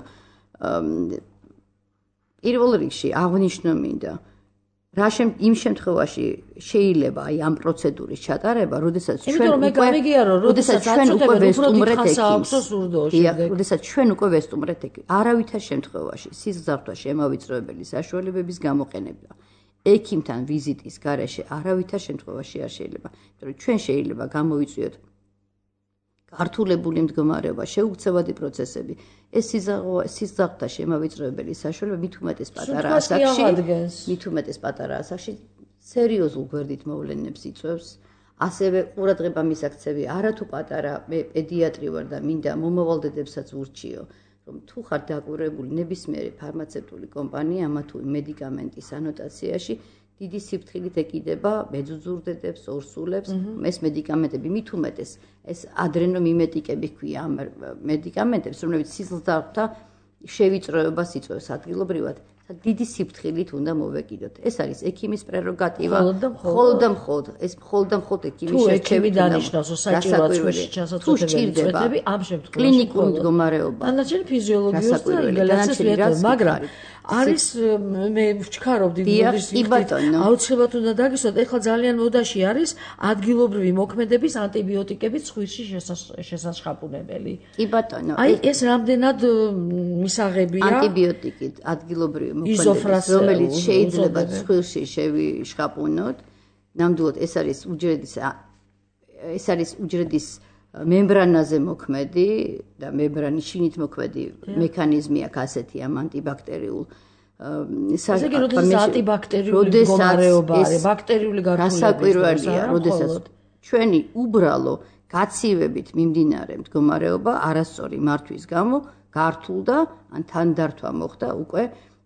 პირველ რიგში აღნიშნო მინდა რა შემ იმ შემთხვევაში შეიძლება აი ამ პროცედურის ჩატარება, როდესაც ჩვენ უკვე როდესაც ჩვენ უკვე ვესტუმრეთ ექიმს. როდესაც ჩვენ უკვე ვესტუმრეთ ექიმს. არავითარ შემთხვევაში სისხლძარღვთა შემავიწროებელი საშუალებების გამოყენება ექიმთან ვიზიტის გარეშე არავითარ შემთხვევაში არ შეიძლება. იმიტომ რომ ჩვენ შეიძლება გამოვიწვიოთ გართულებული მდგომარეობა, შეუქცევადი პროცესები. ეს სისხლძარღვთა შემავიწროებელი საშუალება მით უმეტეს პატარა ასაკში, მით უმეტეს პატარა ასაკში სერიოზულ გვერდით მოვლენებს იწვევს. ასევე ყურადღება მისაქცევი არათუ პატარა, მე პედიატრი ვარ და მინდა მომავალდებსაც ურჩიო, რომ თუ ხარ დაკვირვებული ნებისმიერი ფარმაცევტული კომპანია ამა თუ იმ მედიკამენტის ანოტაციაში დიდი სიფრთხილით ეკიდება მეძუძურდედებს, ორსულებს, ეს მედიკამენტები მით უმეტეს ეს ადრენომიმეტიკები ჰქვია ამ მედიკამენტებს, რომლებიც სისხლძარღვთა შევიწროებას იწვევს ადგილობრივად. დიდი სიფრთხილით უნდა მოვეკიდოთ. ეს არის ექიმის პრეროგატივა. მხოლოდ და მხოლოდ ეს მხოლოდ და მხოლოდ ექიმის შერჩევით დანიშნავს, რომ საჭიროა ცხვირში ჩასაწვეთებელი წვეთები ამ შემთხვევაში. კლინიკური მდგომარეობა. დანარჩენი ფიზიოლოგიური და ინგალაციის მეტოდი, მაგრამ არის მე ვჩქარობდი მოდის აუცილებლად უნდა დაგისვათ, ეხლა ძალიან მოდაში არის ადგილობრივი მოქმედების ანტიბიოტიკების ცხვირში შესაჩხაპუნებელი. კი ბატონო. აი ეს რამდენად მისაღებია ანტიბიოტიკით ადგილობრივი მოქმედების, რომელიც შეიძლება ცხვირში შევიშხაპუნოთ. ნამდვილად ეს არის უჯრედის ეს არის უჯრედის მემბრანაზე მოქმედი და მემბრანის შინით მოქმედი მექანიზმი აქვს ასეთი ამ ანტიბაქტერიულ ანტიბაქტერიული მდგომარეობა არის, ბაქტერიული გართულებაა, როდესაც ჩვენი უბრალო გაცივებით მიმდინარე მდგომარეობა არასწორი მართვის გამო გართულდა ან თანდართვა მოხდა უკვე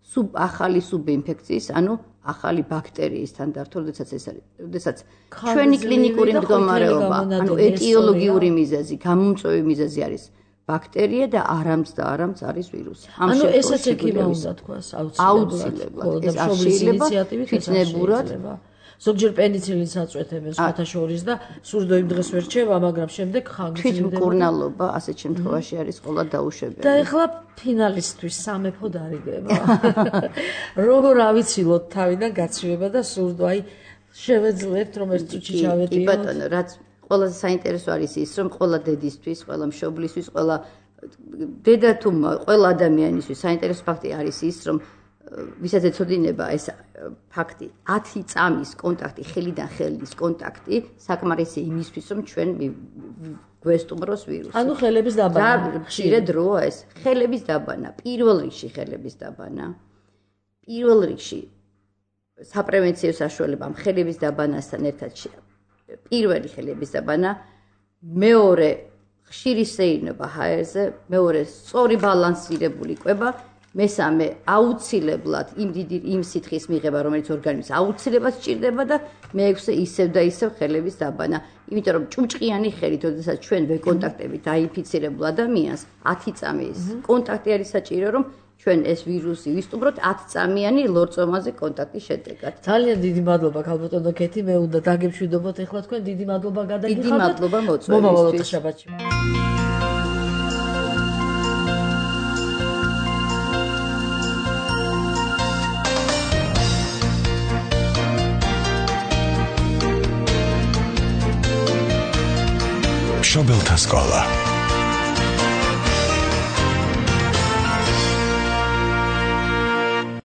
სუბ ახალი სუბინფექციის, ანუ ახალი ბაქტერიისთან დართო, როდესაც ეს არის, როდესაც ჩვენი კლინიკური მდგომარეობა, ანუ ეტიოლოგიური მიზეზი, გამომწვევი მიზეზი არის ბაქტერია და არამც და არამც არის ვირუსი. ანუ ესაც ექიმა უნდა თქვას აუცილებლად. ეს არ შეიძლება თვითნებურად ზოგჯერ პენიცილინს აწვეთებენ სხვათა შორის და სურდო იმ დღეს ვერ რჩება, მაგრამ შემდეგ ხანგრძლივდება. თვითმკურნალობა ასეთ შემთხვევაში არის ყველა დაუშვებელი. და ეხლა ფინალისტვის სამეფო დარიგება. როგორ ავიცილოთ თავიდან გაცივება და სურდო, აი შევეძლებთ რომ ეს წუთი ჩავედიოთ. კი ბატონო, რაც ყველაზე საინტერესო არის ის, რომ ყველა დედისთვის, ყველა მშობლისთვის, ყველა დედა თუ ყველა ადამიანისთვის საინტერესო ფაქტი არის ის, რომ ვისაც ეცოდინება ეს ფაქტი ათი წამის კონტაქტი, ხელიდან ხელის კონტაქტი საკმარისი იმისთვის, რომ ჩვენ გვესტუმროს ვირუსი. ანუ ხელების დაბანა. და ხშირად დროა ეს. ხელების დაბანა, პირველ რიგში ხელების დაბანა. პირველ რიგში საპრევენციო საშუალებამ ხელების დაბანასთან ერთად პირველი ხელების დაბანა, მეორე ხშირი სეირნობა ჰაერზე, მეორე სწორი ბალანსირებული კვება, მესამე აუცილებლად იმ დიდი იმ სითხის მიღება, რომელიც ორგანიზმს აუცილებლად სჭირდება და მეექვსე ისევ და ისევ ხელების დაბანა. იმიტომ რომ ჭუჭყიანი ხელით, როდესაც ჩვენ ვეკონტაქტებით დაინფიცირებულ ადამიანს, ათი წამის კონტაქტი არის საჭირო, რომ ჩვენ ეს ვირუსი ვისტუმროთ ათი წამიანი ლორწომაზე კონტაქტის შედეგად. ძალიან დიდი მადლობა ქალბატონო ქეთი, მე უნდა დაგემშვიდობოთ ეხლა თქვენ, დიდი მადლობა გადაგიხადოთ. დიდი მადლობა მოწვევისთვის. მომავალ შაბათში. მშობელთა სკოლა